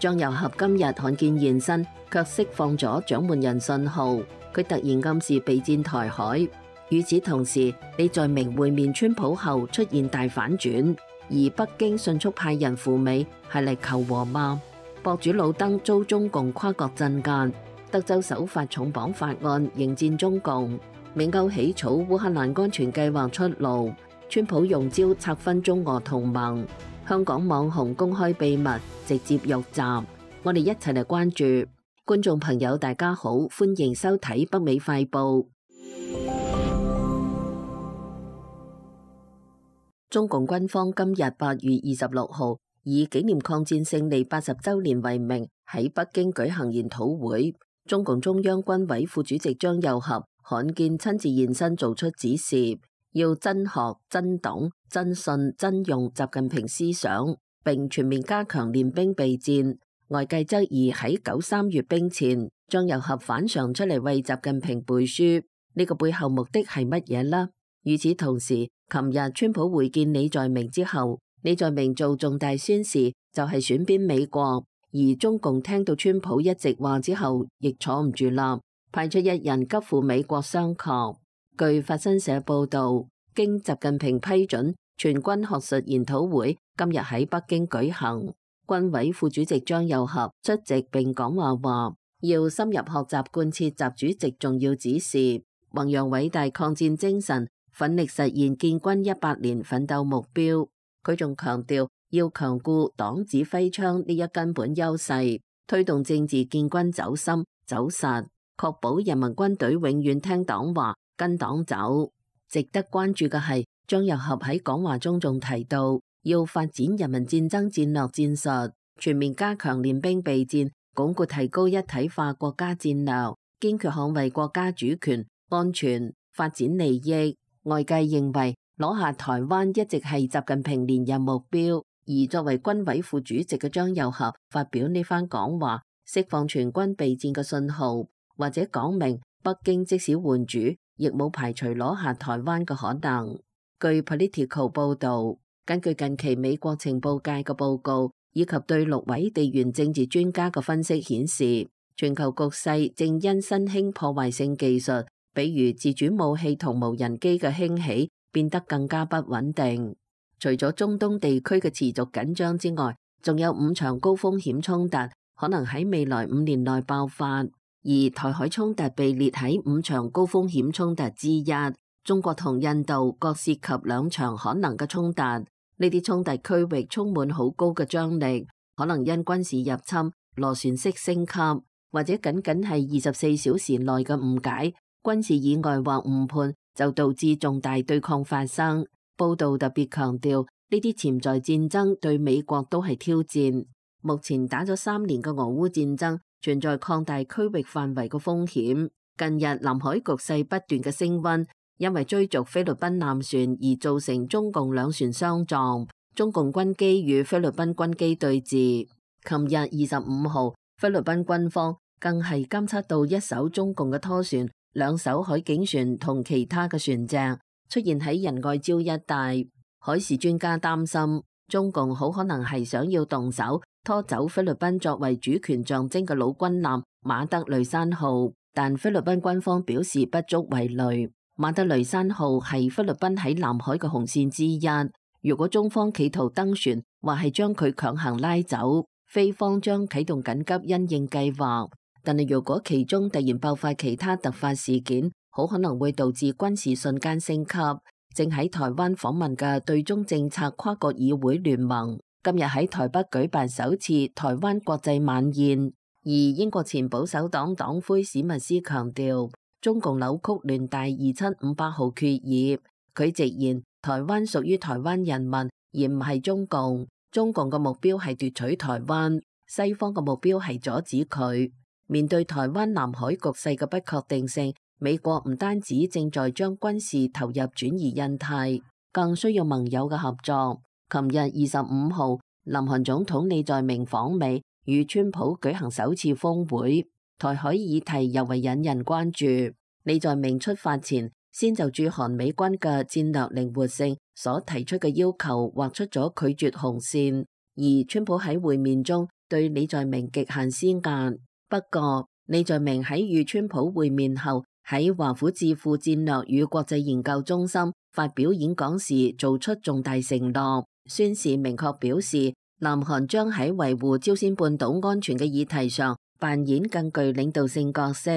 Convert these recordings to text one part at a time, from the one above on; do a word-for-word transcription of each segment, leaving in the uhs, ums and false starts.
張又俠今日罕見現身，卻釋放咗掌門人信號，佢突然暗示備戰台海。與此同時，李在明會面川普後出現大反轉，而北京迅速派人赴美，係嚟求和嗎？博主老登遭中共跨國鎮壓，德州首發重磅法案迎戰中共。美歐起草烏克蘭安全計劃出爐，川普用招拆分中俄同盟。香港網紅公開秘密，直接辱襲。我哋一齊嚟關注。觀眾朋友大家好，歡迎收睇北美快報。中共軍方今日八月二十六號以紀念抗戰勝利八十週年為名，喺北京舉行研討會。中共中央軍委副主席張又俠罕見親自現身做出指示，要真學、真懂、真信、真用習近平思想，並全面加強練兵備戰。外界質疑喺九三閱兵前，張又俠反常出嚟為習近平背書，呢、這個背後目的係乜嘢呢？與此同時，琴日川普會見李在明之後，李在明做重大宣示，就係選邊美國。而中共聽到川普一席話之後，亦坐唔住啦，派出一人急赴美國商榷。據法新社報道，經習近平批准，全軍學術研討會今日喺北京舉行。軍委副主席張又俠出席並講話話，要深入學習貫徹習主席重要指示，弘揚偉大抗戰精神，奮力實現建軍一百年奮鬥目標。佢仲強調要強固黨指揮槍呢一根本優勢，推動政治建軍走深走實，確保人民軍隊永遠聽黨話跟黨走。值得關注嘅係，張又俠喺講話中仲提到，要發展人民戰爭戰略戰術，全面加強練兵備戰，鞏固提高一體化國家戰略，堅決捍衛國家主權、安全、發展利益。外界認為攞下台灣一直係習近平連任目標，而作為軍委副主席嘅張又俠發表呢番講話，釋放全軍備戰嘅信號，或者講明北京即使換主，亦冇排除攞下台灣嘅可能。據 Political 報導，根據近期美國情報界嘅報告，以及對六位地緣政治專家嘅分析顯示，全球局勢正因新興破壞性技術，比如自主武器同無人機嘅興起，變得更加不穩定。除咗中東地區嘅持續緊張之外，仲有五場高風險衝突可能喺未來五年內爆發，而台海衝突被列喺五場高風險衝突之一。中國同印度各涉及兩場可能嘅衝突，呢啲衝突區域充滿好高嘅張力，可能因軍事入侵、螺旋式升級，或者僅僅係二十四小時內嘅誤解、軍事意外或誤判，就導致重大對抗發生。報道特別強調，呢啲潛在戰爭對美國都係挑戰。目前打咗三年嘅俄烏戰爭存在擴大區域範圍嘅風險。近日南海局勢不斷嘅升溫，因為追逐菲律賓艦船而造成中共兩船相撞，中共軍機與菲律賓軍機對峙。琴日二十五號，菲律賓軍方更係監測到一艘中共嘅拖船、兩艘海警船同其他嘅船隻出現喺仁愛礁一帶。海事專家擔心，中共好可能係想要動手拖走菲律賓作為主權象徵嘅老軍艦馬德雷山號，但菲律賓軍方表示不足為慮。馬德雷山號係菲律賓喺南海嘅紅線之一，如果中方企圖登船或係將佢強行拉走，菲方將啟動緊急因應計劃。但係如果其中突然爆發其他突發事件，好可能會導致軍事瞬間升級。正喺台灣訪問嘅對中政策跨國議會聯盟今日喺台北舉辦首次台灣國際晚宴，而英國前保守黨黨魁史密斯強調，中共扭曲聯大二七五八號決議。佢直言，台灣屬於台灣人民，而唔係中共。中共嘅目標係奪取台灣，西方嘅目標係阻止佢。面對台灣南海局勢嘅不確定性，美國唔單止正在將軍事投入轉移印太，更需要盟友嘅合作。琴日二十五號，南韓總統李在明訪美，與川普舉行首次峰會，台海議題尤為引人關注。李在明出發前，先就駐韓美軍嘅戰略靈活性所提出嘅要求劃出咗拒絕紅線，而川普喺會面中對李在明極限施壓。不過，李在明喺與川普會面後，喺華府智庫戰略與國際研究中心發表演講時，做出重大承諾，宣示明確表示，南韓將喺維護朝鮮半島安全嘅議題上扮演更具領導性角色。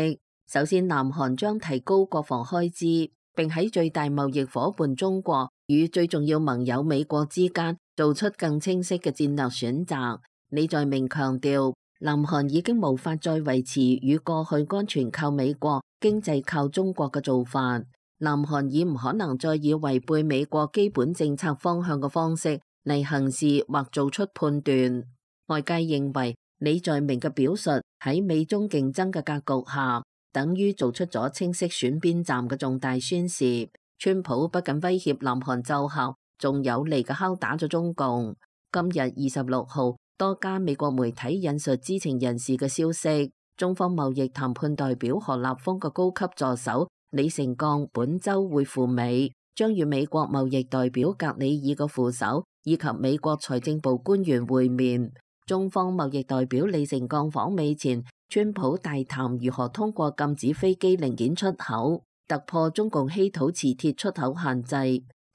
首先，南韓將提高國防開支，並喺最大貿易夥伴中國與最重要盟友美國之間做出更清晰嘅戰略選擇。李在明強調，南韓已經無法再維持與過去安全靠美國、經濟靠中國嘅做法。南韓已唔可能再以違背美國基本政策方向嘅方式嚟行事或做出判斷。外界認為李在明嘅表述喺美中競爭嘅格局下，等於做出咗清晰選邊站嘅重大宣示。川普不僅威脅南韓奏效，仲有力嘅敲打咗中共。今日二十六號，多家美國媒體引述知情人士嘅消息，中方貿易談判代表何立峰嘅高級助手李成鋼本週會赴美，將與美國貿易代表格里爾嘅副手以及美國財政部官員會面。中方貿易代表李成鋼訪美前，川普大談如何通過禁止飛機零件出口，突破中共稀土磁鐵出口限制。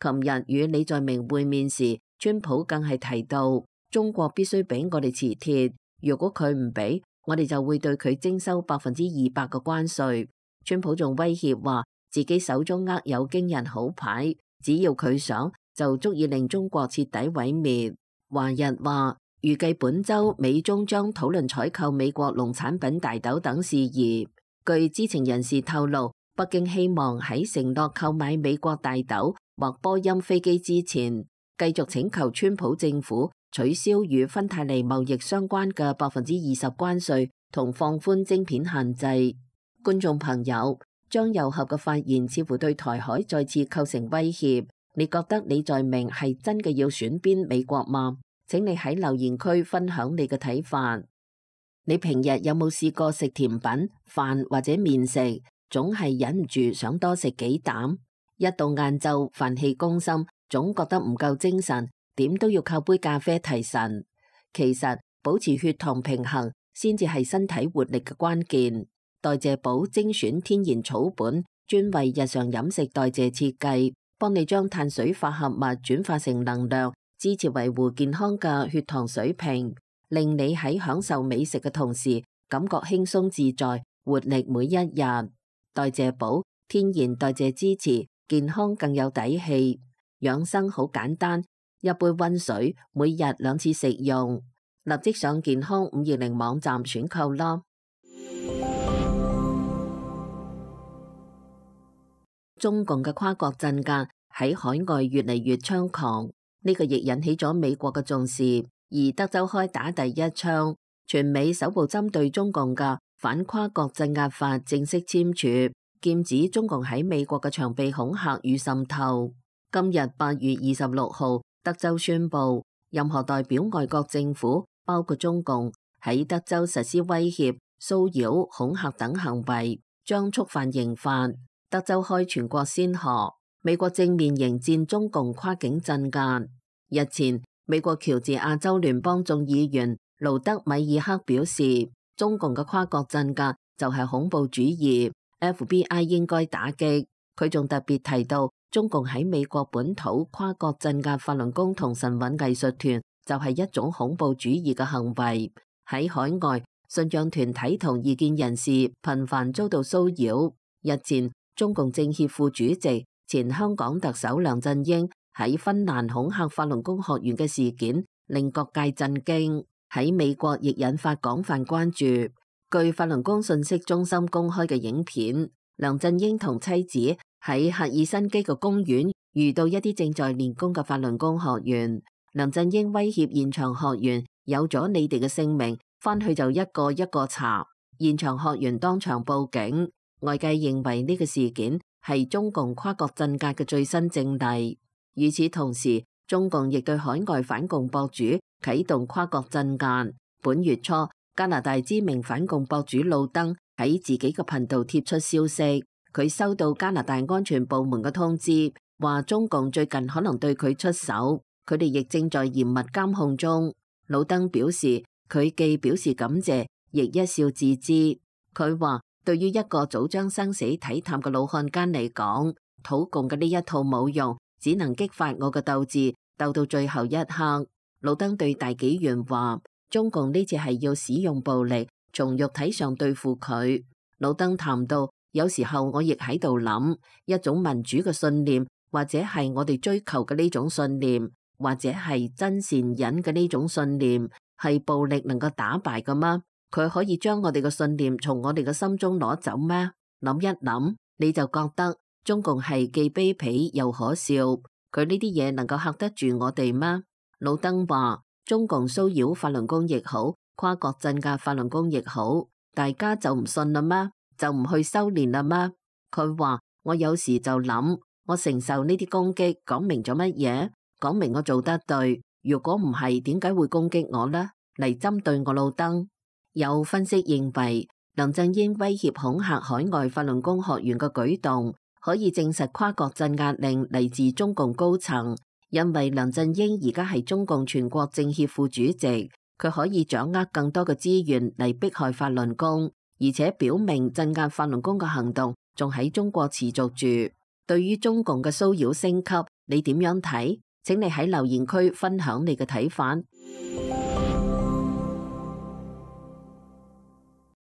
琴日與李在明會面時，川普更係提到，中國必須俾我哋磁鐵，如果佢唔俾，我哋就會對佢徵收百分之二百嘅關稅。川普仲威脅話，自己手中握有驚人好牌，只要佢想，就足以令中國徹底毀滅。華日話，預計本週美中將討論採購美國農產品大豆等事宜。據知情人士透露，北京希望喺承諾購買美國大豆或波音飛機之前，繼續請求川普政府取消與芬太尼貿易相關嘅百分之二十關稅同放寬晶片限制。觀眾朋友，張又俠嘅發言似乎對台海再次構成威脅。你覺得李在明係真嘅要選邊美國嗎？請你喺留言區分享你嘅睇法。你平日有冇試過食甜品、飯或者麵食，總係忍唔住想多食幾啖？一到晏晝飯氣攻心，總覺得唔夠精神，點都要靠杯咖啡提神。其實保持血糖平衡先至係身體活力嘅關鍵。代謝寶精選天然草本，專為日常飲食代謝設計，幫你將碳水化合物轉化成能量，支持維護健康嘅血糖水平，令你喺享受美食嘅同時，感覺輕鬆自在，活力每一日。代謝寶天然代謝支持，健康更有底氣。養生好簡單，一杯溫水，每日兩次食用。立即上健康五二零網站選購啦。中共嘅跨國鎮壓喺海外越嚟越猖狂，呢個亦引起咗美國嘅重視。而德州開打第一槍，全美首部針對中共嘅反跨國鎮壓法正式簽署，劍指中共喺美國嘅長臂恐嚇與滲透。今日八月二十六號，德州宣布，任何代表外國政府，包括中共，喺德州實施威脅、騷擾、恐嚇等行為，將觸犯刑法。德州開全國先河，美國正面迎戰中共跨境鎮壓。日前，美國喬治亞州聯邦眾議員盧德米爾克表示，中共嘅跨國鎮壓就係恐怖主義 ，F B I 應該打擊。佢仲特別提到，中共喺美國本土跨國鎮壓法輪功同神韻藝術團就係一種恐怖主義嘅行為。喺海外，信仰團體同異見人士頻繁遭到騷擾。日前，中共政協副主席、前香港特首梁振英喺芬蘭恐嚇法輪功學員嘅事件，令各界震驚，喺美國亦引發廣泛關注。據法輪功信息中心公開嘅影片，梁振英同妻子喺赫爾辛基嘅公園遇到一啲正在練功嘅法輪功學員，梁振英威脅現場學員，有咗你哋嘅姓名，返去就一個一個查。現場學員當場報警。外界認為呢個事件係中共跨國鎮壓嘅最新證例。與此同時，中共亦對海外反共博主啟動跨國鎮壓。本月初，加拿大知名反共博主路登喺自己嘅頻道貼出消息，佢收到加拿大安全部門嘅通知，話中共最近可能對佢出手，佢哋亦正在嚴密監控中。魯登表示，佢既表示感謝，亦一笑置之。佢話，對於一個早將生死睇淡嘅老漢奸嚟講，土共嘅呢一套冇用，只能激發我嘅鬥志，鬥到最後一刻。魯登對大紀元話，中共呢次係要使用暴力，從肉體上對付佢。魯登談到，有時候我亦喺度諗，一種民主嘅信念，或者係我哋追求嘅呢種信念，或者係真善忍嘅呢種信念，係暴力能夠打敗嘅嗎？佢可以將我哋嘅信念從我哋嘅心中攞走咩？諗一諗，你就覺得中共係既卑鄙又可笑。佢呢啲嘢能夠嚇得住我哋嗎？魯登話，中共騷擾法輪功亦好，跨國鎮壓法輪功亦好，大家就唔信啦咩？就唔去修煉啦咩？佢話，我有時就諗，我承受呢啲攻擊，講明咗乜嘢？講明我做得對。如果唔係，點解會攻擊我呢？嚟針對我魯登。有分析認為，梁振英威脅恐嚇海外法輪功學員嘅舉動，可以證實跨國鎮壓令嚟自中共高層。因為梁振英而家係中共全國政協副主席，佢可以掌握更多嘅資源嚟迫害法輪功，而且表明鎮壓法輪功嘅行動仲喺中國持續住。對於中共嘅騷擾升級，你點樣睇？請你喺留言區分享你嘅睇法。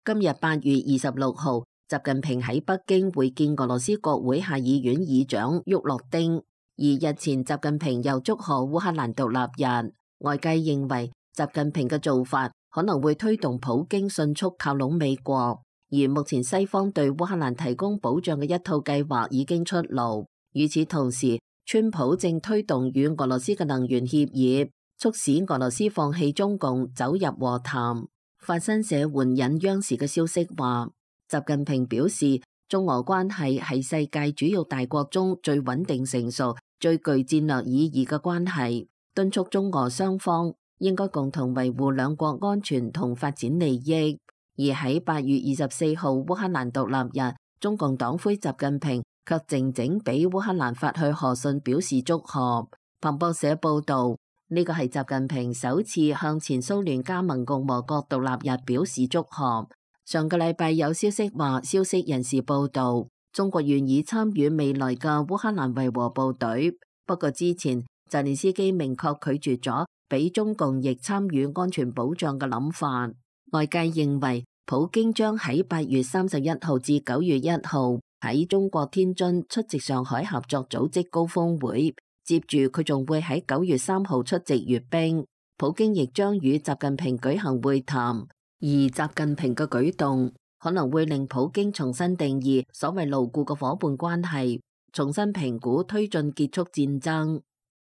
今日八月二十六號，習近平喺北京會見俄羅斯國會下議院議長沃洛丁。而日前，習近平又祝賀烏克蘭獨立日，外界認為習近平嘅做法可能會推動普京迅速靠攏美國。而目前西方對烏克蘭提供保障嘅一套計劃已經出爐。與此同時，川普正推動與俄羅斯嘅能源協議，促使俄羅斯放棄中共，走入和談。法新社援引央視嘅消息話，習近平表示，中俄關係係世界主要大國中最穩定成熟、最具戰略意義嘅關係，敦促中俄雙方應該共同維護兩國安全同發展利益。而喺八月二十四號烏克蘭獨立日，中共黨魁習近平卻靜靜俾烏克蘭發去賀信，表示祝賀。彭博社報道，呢個係習近平首次向前蘇聯加盟共和國獨立日表示祝賀。上個禮拜有消息話，消息人士報道，中國願意參與未來嘅烏克蘭維和部隊。不過之前澤連斯基明確拒絕咗俾中共亦參與安全保障嘅諗法。外界認為，普京將喺八月三十一號至九月一號喺中國天津出席上海合作組織高峰會，接住佢仲會喺九月三號出席閱兵。普京亦將與習近平舉行會談，而習近平嘅舉動可能會令普京重新定義所謂牢固嘅夥伴關係，重新評估推進結束戰爭。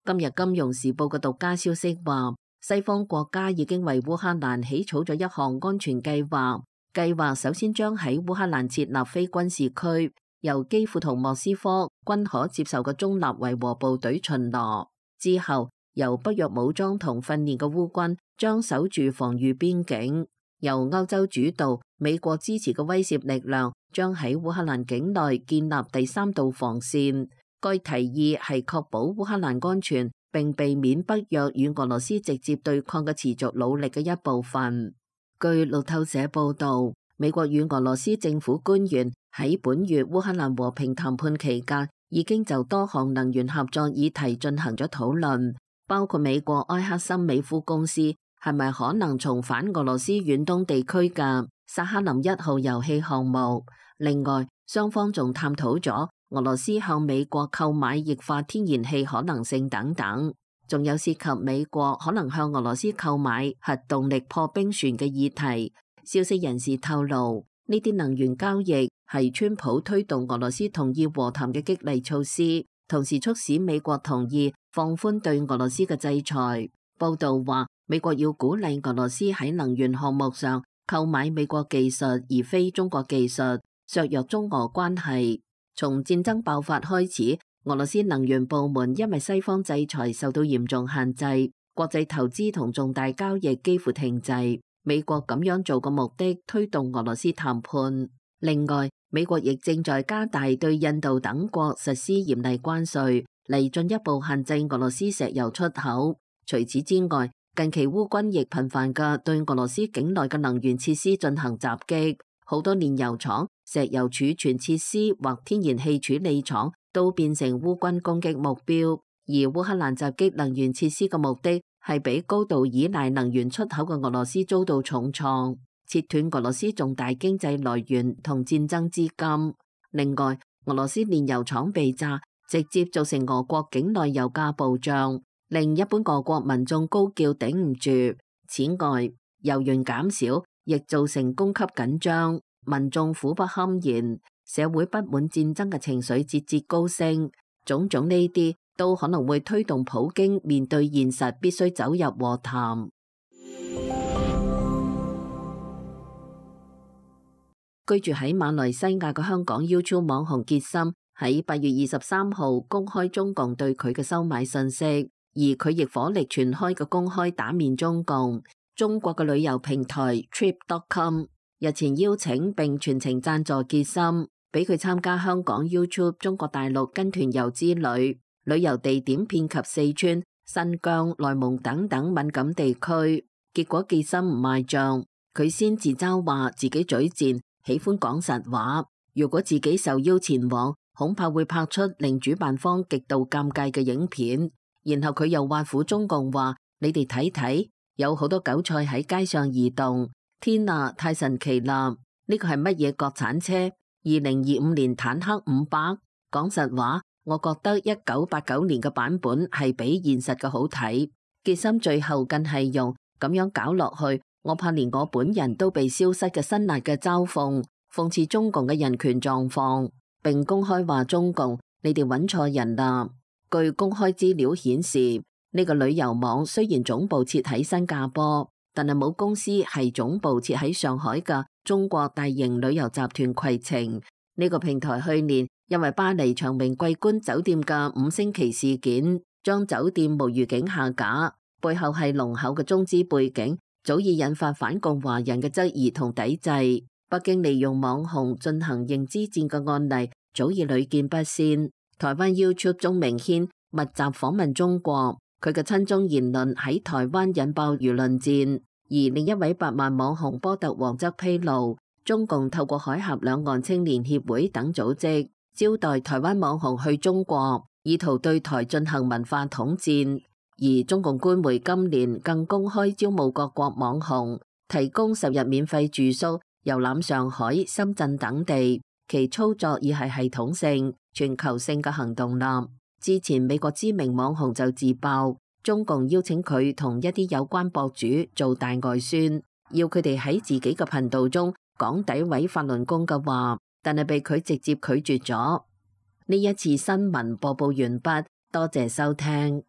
今日《金融時報》嘅獨家消息話，西方國家已經為烏克蘭起草咗一項安全計劃，計劃首先將喺烏克蘭設立非軍事區，由基輔同莫斯科均可接受嘅中立維和部隊巡邏，之後由北約武裝同訓練嘅烏軍將守住防禦邊境，由歐洲主導、美國支持嘅威懾力量將喺烏克蘭境內建立第三道防線。該提議係確保烏克蘭安全，並避免北約與俄羅斯直接對抗嘅持續努力嘅一部分。據路透社報導，美國與俄羅斯政府官員喺本月烏克蘭和平談判期間，已經就多項能源合作議題進行咗討論，包括美國埃克森美孚公司係咪可能重返俄羅斯遠東地區嘅薩克林一號油氣項目。另外，雙方仲探討咗俄羅斯向美國購買液化天然氣可能性等等，仲有涉及美國可能向俄羅斯購買核動力破冰船嘅議題。消息人士透露，呢啲能源交易係川普推動俄羅斯同意和談嘅激勵措施，同時促使美國同意放寬對俄羅斯嘅制裁。報道話，美國要鼓勵俄羅斯喺能源項目上購買美國技術而非中國技術，削弱中俄關係。從戰爭爆發開始，俄羅斯能源部門因為西方制裁受到嚴重限制，國際投資同重大交易幾乎停滯。美國咁樣做嘅目的，推動俄羅斯談判。另外，美國亦正在加大對印度等國實施嚴厲關稅，嚟進一步限制俄羅斯石油出口。除此之外，近期烏軍亦頻繁嘅對俄羅斯境內嘅能源設施進行襲擊，好多煉油廠、石油儲存設施或天然氣處理廠都變成烏軍攻擊目標。而烏克蘭襲擊能源設施嘅目的係俾高度依賴能源出口嘅俄羅斯遭到重創，切斷俄羅斯重大經濟來源同戰爭資金。另外，俄羅斯煉油廠被炸，直接造成俄國境內油價暴漲，令一般俄國民眾高叫頂唔住。此外，油源減少亦造成供給緊張，民眾苦不堪言，社會不滿戰爭嘅情緒節節高升。種種呢啲都可能會推動普京面對現實，必須走入和談。居住喺馬來西亞嘅香港 YouTube 網紅傑森喺八月二十三號公開中共對佢嘅收買信息，而佢亦火力全開嘅公開打面中共。中國嘅旅遊平台 trip dot com 日前邀請並全程贊助傑森，俾佢參加香港 YouTube 中國大陸跟團遊之旅，旅遊地點遍及四川、新疆、內蒙等等敏感地區。結果傑森唔賣賬，佢先自嘲話自己嘴賤，喜歡講實話，如果自己受邀前往，恐怕會拍出令主辦方極度尷尬嘅影片。然後佢又挖苦中共話：你哋睇睇，有好多韭菜喺街上移動，天啊，太神奇啦！呢個係乜嘢國產車？二零二五年坦克五百？講實話，我覺得一九八九年嘅版本係比現實嘅好睇。傑森最後更係用咁樣搞落去，我怕連我本人都被消失嘅辛辣嘅嘲諷，諷刺中共嘅人權狀況，並公開話中共，你哋揾錯人啦。據公開資料顯示，呢個旅遊網雖然總部設喺新加坡，但係母公司係總部設喺上海嘅中國大型旅遊集團攜程。呢個平台去年因為巴黎長榮桂冠酒店嘅五星旗事件，將酒店無預警下架，背後係濃厚嘅中資背景，早已引發反共華人嘅質疑同抵制。北京利用網紅進行認知戰嘅案例早已屢見不鮮。台灣 YouTube 鍾明軒密集訪問中國，佢嘅親中言論喺台灣引爆輿論戰。而另一位百萬網紅波特王則披露，中共透過海峽兩岸青年協會等組織招待台灣網紅去中國，意圖對台進行文化統戰。而中共官媒今年更公開招募各國網紅，提供十日免費住宿、遊覽上海、深圳等地，其操作已係系統性、全球性嘅行動啦。之前美國知名網紅就自爆，中共邀請佢同一啲有關博主做大外宣，要佢哋喺自己嘅頻道中講詆毀法輪功嘅話，但係被佢直接拒絕咗。呢一次新聞播報完畢，多謝收聽。